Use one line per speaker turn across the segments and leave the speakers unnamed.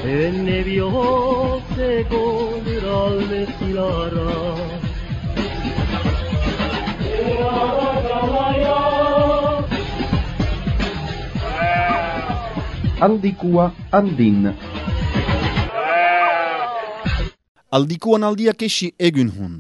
Enne bihotzeko lurralde zilarra
Handikua handin.
Aldikuan aldiak esi egun hun.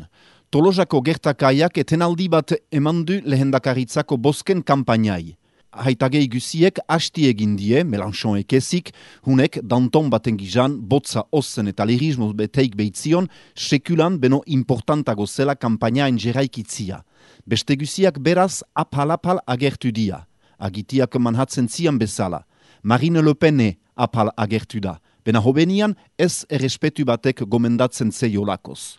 Tolosako gertakaiak etenaldi bat emandu lehendakaritzako bosken kampainai. Haitagei guziek hasti egin die, Melanchon ekezik, hunek Danton baten gizan, botza ossen eta lirismo beteik behitzion, sekulan beno importantago zela kampainaen jeraikitzia. Beste guziak beraz apal-apal agertu dia. Agitiak manhatzen zian bezala. Marine Le Pen apal agertu da. Bena hobenian ez errespetu batek gomendatzen zeiolakoz.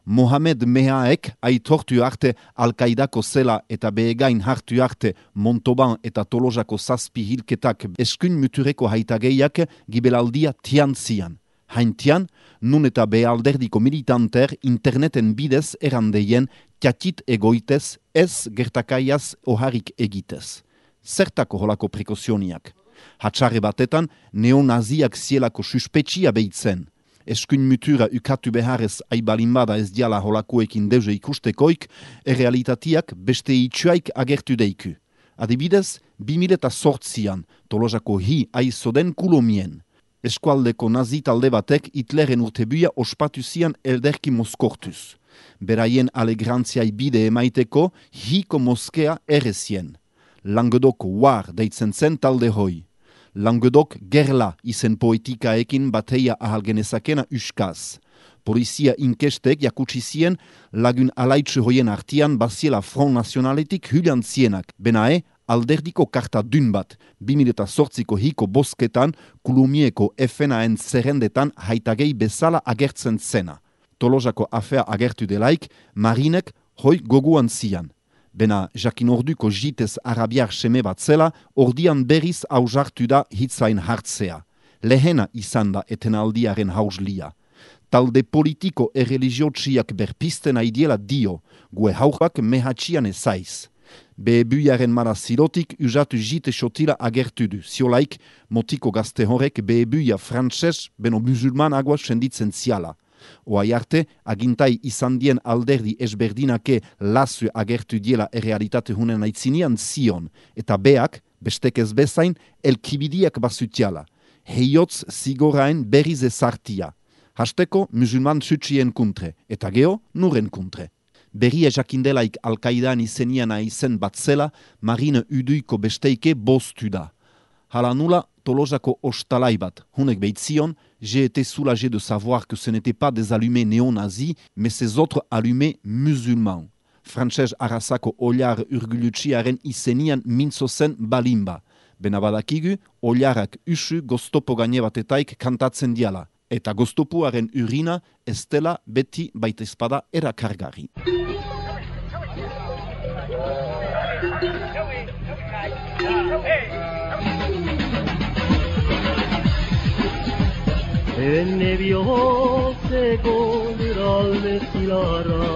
Mohamed Mehaek aitortu arte Al-Qaidako zela eta behegain hartu arte Montauban eta Tolosako zazpi hilketak eskun mutureko haitageiak gibelaldia tian zian. Haintian, nun eta bealderdiko militanter interneten bidez erandeien tiatit egoitez ez gertakaiaz oharik egitez. Zertako holako prekozioniak? Hatxarre batetan, neonaziak zielako suspetsia behitzen. Eskun mutura ukatu beharrez aibalinbada ez diala holakoekin deuze ikustekoik, errealitatiak beste itxuaik agertu deiku. Adibidez, 2008an, Tolosako hi aizoden kulomien. Eskualdeko nazi talde batek Hitleren urtebuia ospatu zian elderki moskortuz. Beraien alegrantziai bide emaiteko hiko moskea errezien. Languedok war deitzen zen talde hoi. Languedok gerla izen poetikaekin bateia ahalgenezakena uskaz. Polizia inkestek jakutsi zien lagun alaitsu hoien artian baziela Front Nationaletik hülian zienak. Benae, alderdiko karta dun bat, 2008ko hiko bosketan Kulumieko FNAen zerrendetan haitagei bezala agertzen zena. Tolosako afea agertu delaik, Marinek hoi goguan zian. Bena jakin orduko jitez arabiar seme bat zela, ordian berriz hausartu da hitzain hartzea. Lehena izan da etenaldiaren hauslia. Talde politiko erreligiotsiak berpisten aidiela dio, gue hauak mehatxian ezaiz. Behebuiaren mara zirotik usatu jite xotila agertu du. Ziolaik, motiko gazte horrek behebuia frantses beno musulman agua senditzen ziala. Oai arte, agintai izan dien alderdi esberdinake lasu agertu diela errealitate hunen aitzinian zion, eta beak, bestekez bezain, elkibidiak basutiala. Heiotz zigorain berriz ezartia. Hasteko musulman sutsien kuntre, eta geho nuren kuntre. Berria jakindelaik Al-Qaidan izeniana izen bat zela, Marine Uduiko besteike bostu da. Hala nula, Tolosako ostalai bat, hunek behitzion, j'ai été soulagé de savoir que ce n'était pas des allumés néo-nazis, mais ces autres allumés musulmans. Frantses arrasako oliar urgulutsiaren izenian mintzo zen balimba. Benabadakigu, oliarak usu goztopo gaine batetaik kantatzen diala. Eta goztopuaren urina ez dela beti baita espada erakargarri.
Enne bihotzeko lurralde zilarra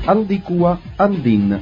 Handikua handin.